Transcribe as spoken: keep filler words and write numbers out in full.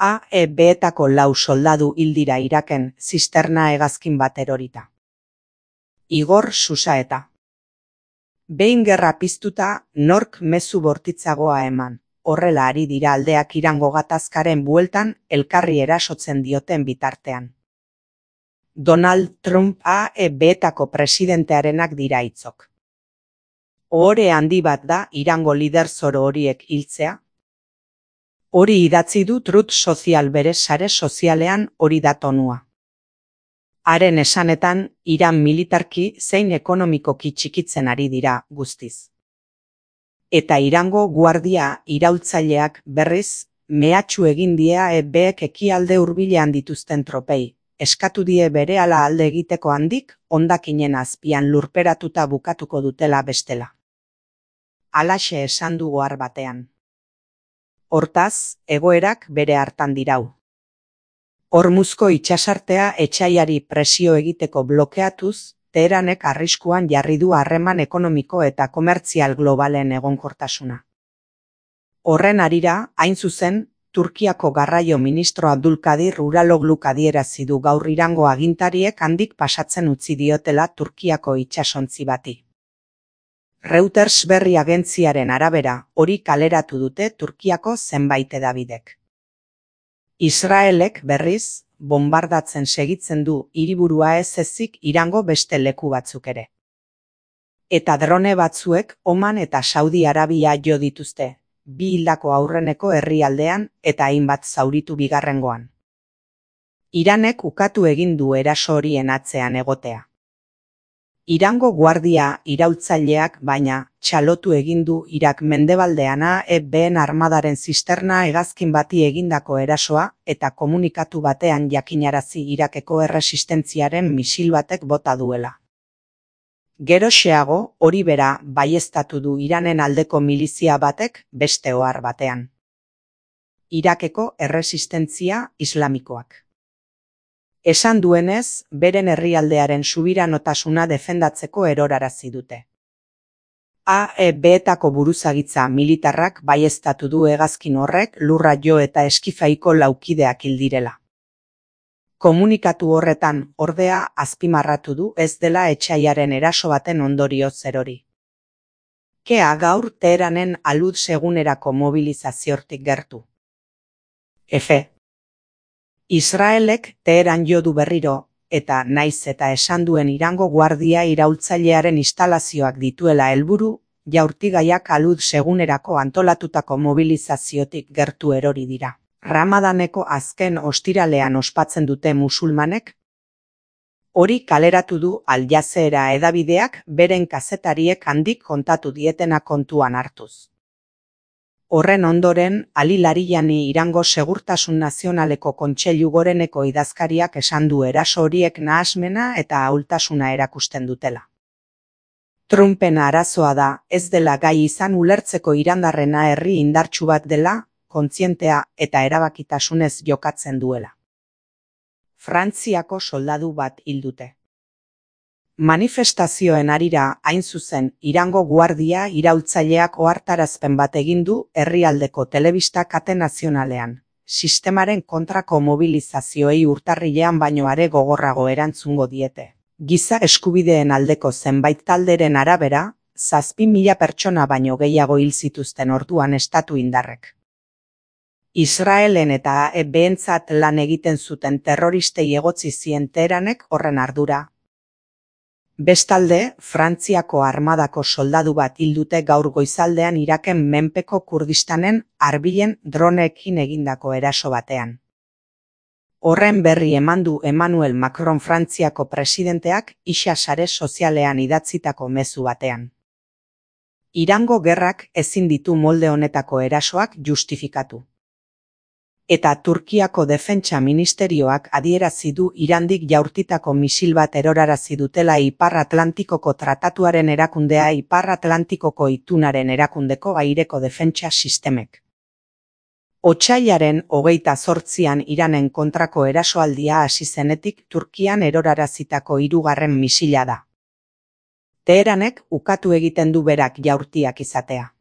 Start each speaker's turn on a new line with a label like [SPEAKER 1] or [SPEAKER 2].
[SPEAKER 1] A E B-etako lau soldadu hil dira Iraken zisterna hegazkin bat erorita. Igor Susaeta. Behin gerra piztuta, nork mezu bortitzagoa eman. Horrela ari dira aldeak Irango gatazkaren bueltan elkarri erasotzen dioten bitartean. Donald Trump A E B-etako presidentearenak dira hitzok. Ohore handi bat da Irango lider zoro horiek hiltzea. Hori idatzi du Truth Social bere sare sozialean, hori da tonua. Haren esanetan, Iran militarki zein ekonomikoki txikitzen ari dira guztiz. Eta Irango guardia iraultzaileak berriz, mehatxu egin die A E B-ek ekialde hurbilean dituzten tropei, eskatu die berehala alde egiteko handik, hondakinen azpian lurperatuta bukatuko dutela bestela. Halaxe esan du ohar batean. Hortaz, egoerak bere hartan dirau. Hormuzko itsasartea etsaiari presio egiteko blokeatuz, Teheranek arriskuan jarri du harreman ekonomiko eta komertzial globalen egonkortasuna. Horren harira, hain zuzen, Turkiako garraio ministro Abdulkadir Uralogluk adierazi du gaur Irango agintariek handik pasatzen utzi diotela Turkiako itsasontzi bati. Reuters berri agentziaren arabera, hori kaleratu dute Turkiako zenbait hedabidek. Israelek berriz, bombardatzen segitzen du hiriburua ez ezik Irango beste leku batzuk ere. Eta drone batzuek Oman eta Saudi Arabia jo dituzte, bi hildako aurreneko herrialdean eta hainbat zauritu bigarrengoan. Iranek ukatu egin du eraso horien atzean egotea. Irango guardia iraultzaileak baina txalotu egin du Irak mendebaldean A E B-en armadaren zisterna hegazkin bati egindako erasoa eta komunikatu batean jakinarazi Irakeko erresistentziaren misil batek bota duela. Geroxeago, hori bera baieztatu du Iranen aldeko milizia batek beste ohar batean. Irakeko erresistentzia islamikoak. Esan duenez, beren herrialdearen subiranotasuna defendatzeko erorarazi dute. A E B-etako buruzagitza militarrak baieztatu du hegazkin horrek lurra jo eta eskifaiko laukideak hil direla. Komunikatu horretan, ordea, azpimarratu du ez dela etsaiaren eraso baten ondorio zerori. Kea gaur Teheranen alud segunerako mobilizaziotik gertu. F. Israelek Teheran jo du berriro, eta naiz eta esan duen Irango guardia iraultzailearen instalazioak dituela helburu, jaurtigaiak alud segunerako antolatutako mobilizaziotik gertu erori dira. Ramadaneko azken ostiralean ospatzen dute musulmanek? Hori kaleratu du Al Jazeera hedabideak beren kazetariek handik kontatu dietena kontuan hartuz. Horren ondoren, Ali Larijani Irango Segurtasun Nazionaleko Kontseilu Goreneko idazkariak esan du eraso horiek nahasmena eta ahultasuna erakusten dutela. Trumpen arazoa da, ez dela gai izan ulertzeko irandarrena herri indartsu bat dela, kontzientea eta erabakitasunez jokatzen duela. Frantziako soldadu bat hil dute. Manifestazioen harira, hain zuzen, Irango guardia iraultzaileak ohartarazpen bat egin du herrialdeko telebista kate nazionalean. Sistemaren kontrako mobilizazioei urtarrilean baino are gogorrago erantzungo diete. Giza eskubideen aldeko zenbait talderen arabera, zazpi mila pertsona baino gehiago hil zituzten orduan estatu indarrek. Israelen eta A E B-entzat lan egiten zuten terroristei egotzi zien Teheranek horren ardura. Bestalde, Frantziako armadako soldadu bat hil dute gaur goizaldean Iraken menpeko Kurdistanen Arbilen droneekin egindako eraso batean. Horren berri eman du Emmanuel Macron Frantziako presidenteak isa sare sozialean idatzitako mezu batean. Irango gerrak ezin ditu molde honetako erasoak justifikatu. Eta Turkiako defentsa ministerioak adierazi du Irandik jaurtitako misil bat erorarazi dutela Ipar Atlantikoko tratatuaren erakundea Ipar Atlantikoko itunaren erakundeko aireko defentsa sistemek. Otsailaren hogeita zortzian Iranen kontrako erasoaldia hasi zenetik Turkian erorarazitako hirugarren misila da. Teheranek ukatu egiten du berak jaurtiak izatea.